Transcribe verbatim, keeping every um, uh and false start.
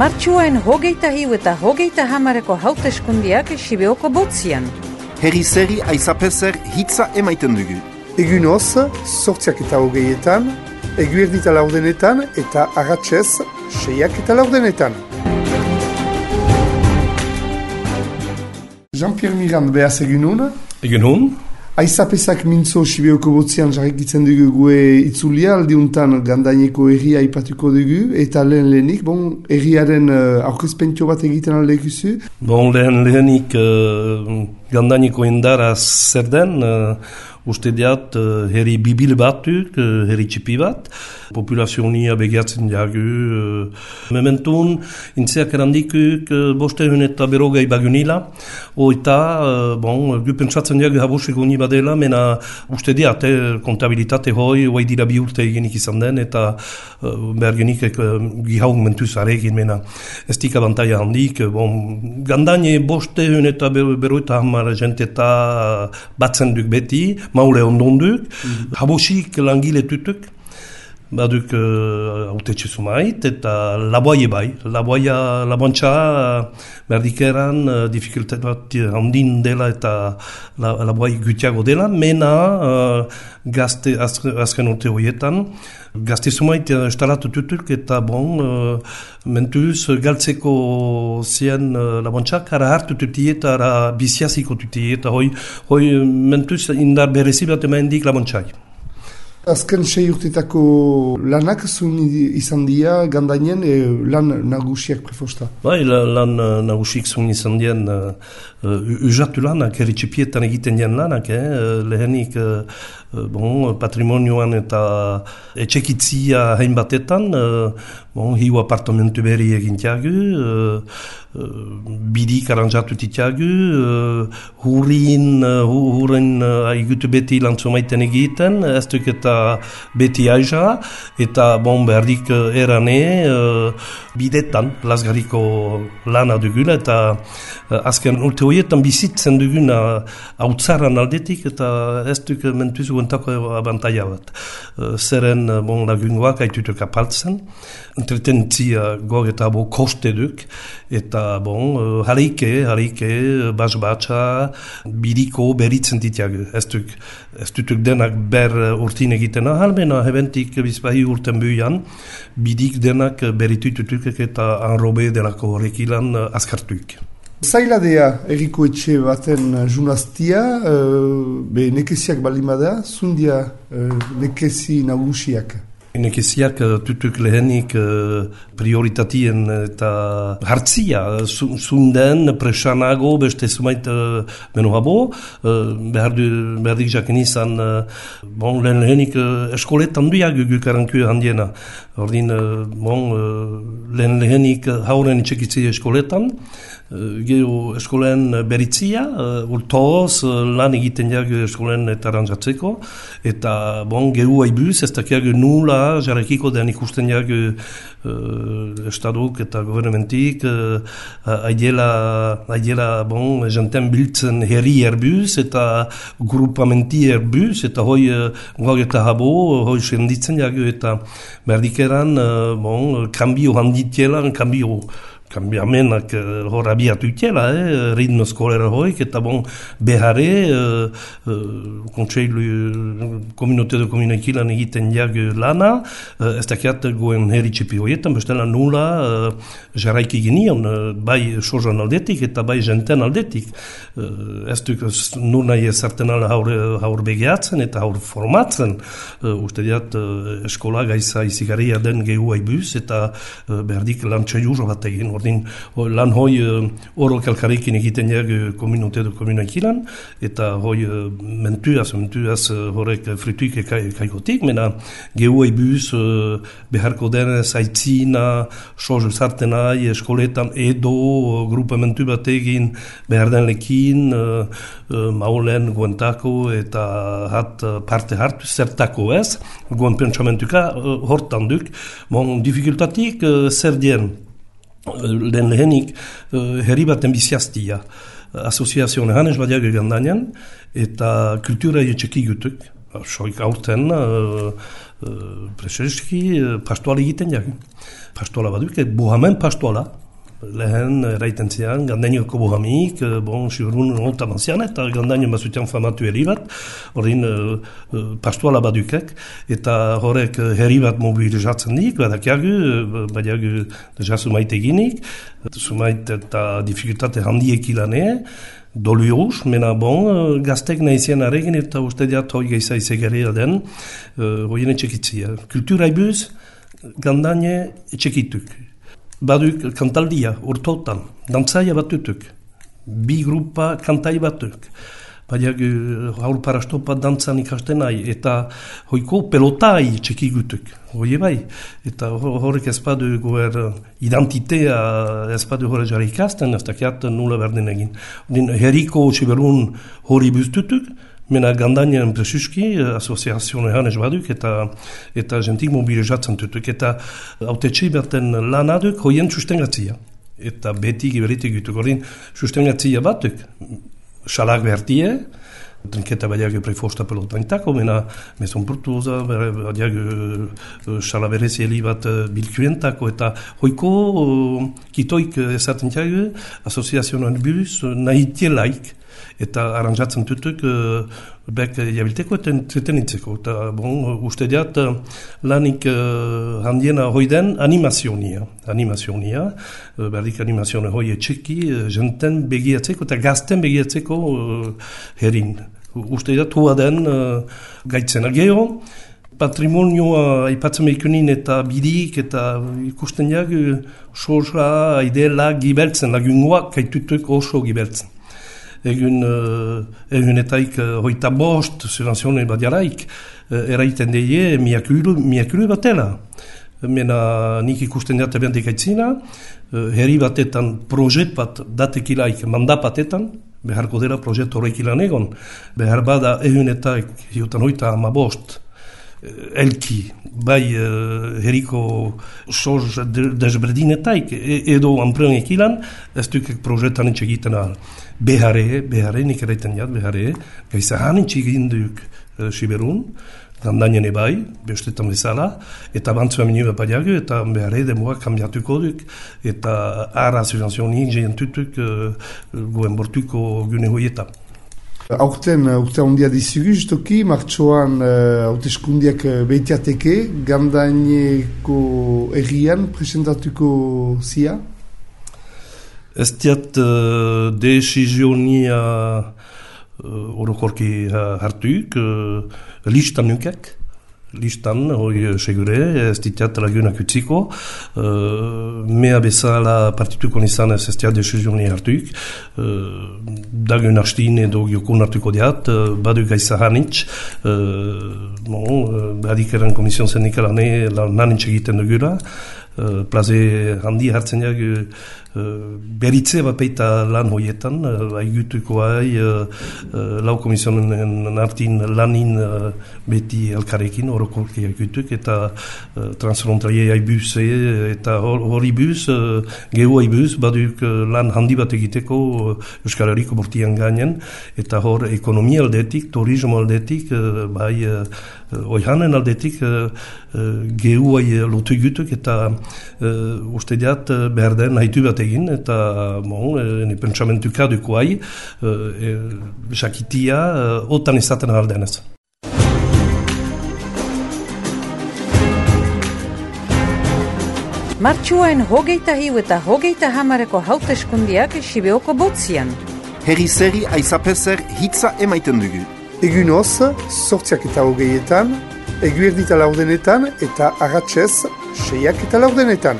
Martxuain hogeita hiu eta hogeita hamareko hauteskundiak Sibeoko botzian. Herri zeri aizapezer hitza emaiten dugu. Egunoz, sortziak eta hogeietan, eguerdita laurdenetan eta agatzez, seiak eta laurdenetan. Jean-Pierre Mirand, behaz egunon? Egunon. Aizapezak mintzo Sibeoko botzian jarrikitzen dugu gue itzulia, aldiuntan gandaineko erria ipatuko dugu, eta lehen lehenik, bon, erriaren uh, aurkezpentio bat egiten aldekuzu? Bon, lehen lehenik uh, gandaineko indara zer den, uh, uste diat uh, herri bibil batuk, uh, herri txipi bat, populazionia begiatzen jagu. Uh, mementun, intzeak erandikuk uh, bostehun eta berogei bagunila, oita, uh, bon, gu pentsatzen jagu habosik honi badela, mena uste diat, eh, kontabilitate hoi, hoi dira bi urte eginik izan den, eta uh, behar genik uh, gihaun mentuz aregin, mena ez dik abantaia handik. Bon, gandaine bostehun eta beroita hamar jenteta batzen duk beti, maule ondonduk, mm-hmm. Habosik langile tutuk, baduk autetxe uh, sumait, eta laboaie bai, laboaia, laboantxa berdikeran uh, dificultate bat handin dela eta la, laboai gutiago dela, mena uh, gazte azken, azken urte horietan, gazte sumait uh, estalatu tutuk, eta bon, uh, mentuz galtzeko zien uh, laboantxak, ara hartu tuti eta ara biziaziko tuti, eta hoi, hoi mentuz indar berezi bat emaindik laboantxai. Azken sei urtetako lanak zuen izan dira gandainen e, lan nagusiak prefosta? Bai, lan nagusiak zuen izan dien uh, uh, ujatu lanak, erritxipietan egiten dien lanak, eh? lehenik uh, bon, patrimonioan eta etxekitzia hain batetan, uh, bon, hiu apartamentu berri egintiagu, uh, uh, bidik aranjatu titiagu, uh, hurin, uh, hurin uh, aigutu beti lantzumaiten egiten, ez duk eta beti aiza, eta bon, berdik uh, erane uh, bidetan, lasgariko lana dugula, eta uh, azken urte horietan bizitzen duguna hautzaran aldetik, eta ez duk mentuzu guentako abantaia bat. Uh, zeren uh, bon, lagungoak haitutuk apaltzen, entretentzia gog eta bo koste duk, eta bon, uh, hareike, hareike, bas-batxa, bidiko beritzen ditiagu. Ez duk, ez dutuk denak ber urtin egiten ahal, mena hebentik bizpahi urten buian, bidik denak beritututuk eta anrobe delako horrekilan uh, azkartuk. Zailadea erriko etxe baten junaztia, uh, be nekeziak balimada, zundia uh, nekezi nagusiak? Nekeziak tutuk lehenik uh, prioritatien eta hartzia, zunden presanago beste sumait uh, meno habo, uh, behar du, behardik jaken izan, uh, bon, lehen lehenik uh, eskoletan duiak gukaranku handiena. Ordin, uh, bon, uh, lehen lehenik hauren itxekitzi eskoletan, Uh, gero eskolen beritzia, uh, urtoz uh, lan egiten jak eskolen eta aranjatzeko, eta bon, gero haibuz, ez dakiak nula jarrekiko den ikusten jak uh, estaduk eta gobernementik, uh, aidiela, aidiela bon, jenten biltzen herri erbuz, eta grupamenti erbuz, eta hoi uh, gog eta habo, hoi senditzen jak, eta berdikeran, uh, bon, kambio handitiela, kambio kambiamenak uh, hor abiatu itela, eh, ritmo skolera hoik, eta bon, behare, uh, uh, kontseilu uh, komunote de komunakilan egiten jak lana, uh, ez dakiat goen herri txipi hoietan, bestela nula uh, jarraiki genion, uh, bai sozan aldetik eta bai jenten aldetik. Uh, ez duk nur nahi ezarten ala haur, haur begeatzen eta haur formatzen, uh, uste diat uh, eskola gaiza izigarria den gehu haibuz, eta uh, berdik lantxe jurro bat egin, ordin lan hoi uh, oro kalkarekin egiten jak uh, komunote du komunakilan, eta hoi uh, mentuaz, mentuaz uh, horrek frituik kaikotik, mena gehu haibuz uh, beharko denez aitzina, soz sartenai, eskoletan edo uh, grupamentu bat egin behar den lekin, uh, uh, maulen guentako eta hat uh, parte hartu zertako ez, guen pentsamentuka uh, hortan duk, bon, dificultatik uh, zer dien, lehen lehenik uh, herri baten biziaztia. Asoziazioan hanez badiak egandanian, eta kultura etxeki gutuk. soik aurten, uh, uh, preseski, uh, pastoala egiten jak. Pastoala baduk, et bohamen pastoala. Lehen eraiten zian, gandainoko bohamik, bon, siberun ontan anzian, eta gandaino bazutian famatu herri bat, horrein uh, uh, pastoala badukek, eta horrek uh, herri bat mobilizatzen dik, badakiagu, uh, badiagu deja sumait eginik, sumait eta dificultate handiek ilane, dolu eurus, mena bon, uh, gaztek nahizien aregin, eta uste diat hoi geiza izegaria den, uh, hoien etxekitzia. Kultura ibuz, gandaine etxekituk. Baduk kantaldia, urtotan, dantzaia batutuk, bi grupa kantai batuk. Badiak haur parastopa dantzan ikasten nahi, eta hoiko pelotai txekigutuk, hoi bai. Eta horrek ez badu goer identitea, ez badu horre jarri ikasten, ez dakiat nula berdin egin. Herriko siberun hori buztutuk, mena gandainen presuski, asoziazionean ez baduk, eta eta jentik mobilizatzen tutuk, eta autetxe berten lan aduk hoien sustengatzia. Eta beti giberitik gutuk, horien sustengatzia batuk, salak bertie, trinketa badiak prefosta pelotaintako, mena meson portuza, badiak sala berezi bat bilkuentako, eta hoiko kitoik esaten tiago, asoziazionean buz, nahi tielaik, eta aranjatzen tutuk uh, bek jabilteko eta entretenitzeko. Eta bon, uste diat uh, lanik uh, handiena hoiden animazionia. Animazionia, uh, berdik animazioa hoi etxeki, uh, jenten begiatzeko eta gazten begiatzeko uh, herin. Uste diat hua den uh, gaitzen. Gero, patrimonioa aipatzen behikunin eta bidik eta ikusten jak, uh, soja, aidela, gibeltzen, lagungoak kaitutuk oso gibeltzen. Egun, uh, egunetaik uh, hoita bost, subvenzione badiaraik, uh, eraiten deie miakulu, miakulu batela. Mena nik ikusten diate bendik aitzina, uh, herri batetan projet bat datekilaik mandat batetan, beharko dela projet horrek ilan egon, behar bada egunetaik hiutan hoita ama bost, elki, bai uh, herriko soz desberdinetaik, edo anprenek ilan, ez dukek projetan etxegiten ahal. Behare, behare, nik eraiten jat, behare, gaiza hanitxik induk uh, siberun, gandainen ebai, bestetan bezala, eta bantzua minua badiagu, eta behare demoa kambiatuko duk, eta ara subvenzionik jentutuk uh, goen bortuko gune hoietan. Aurten, urte handia dizugu, justoki, martxoan hauteskundiak uh, behitiateke, gandaineko errian presentatuko zia? Ez diat uh, desizionia uh, orokorki hartuik, uh, listan nukek, listan, hori segure, ez diat lagunak utziko, uh, mea bezala partituko nizan ez ez diat desizionia hartuik, uh, dagun hastin edo giokun hartuko diat, uh, badu gaiza hanitz, uh, bon, uh, badik eran komision sendikalane lan hanitz egiten dugula, uh, plaze handi hartzen jak, uh, Uh, beritze bat peita lan hoietan, uh, aigutuko hai, uh, uh, lau komisionen artin lanin uh, beti elkarekin, orokorki aigutuk, eta uh, transfrontalie haibuse, eta hori buz, uh, gehu haibuz, baduk uh, lan handi bat egiteko uh, Euskal Herriko bortian gainen, eta hor ekonomia aldetik, turismo aldetik, uh, bai uh, oihanen aldetik, uh, uh, gehu hai lotu egutuk, eta uh, uste diat uh, behar den haitu bat egin, eta bon, ene pentsamentuka duko hai, jakitia, e, e, otan izaten aldenez. Martxuaen hogeita hiu eta hogeita hamareko hauteskundiak Sibeoko botzian. Herri zeri aizapezer hitza emaiten dugu. Egun hoz, sortziak eta hogeietan, eguerdita laurdenetan eta agatzez, seiak eta laurdenetan.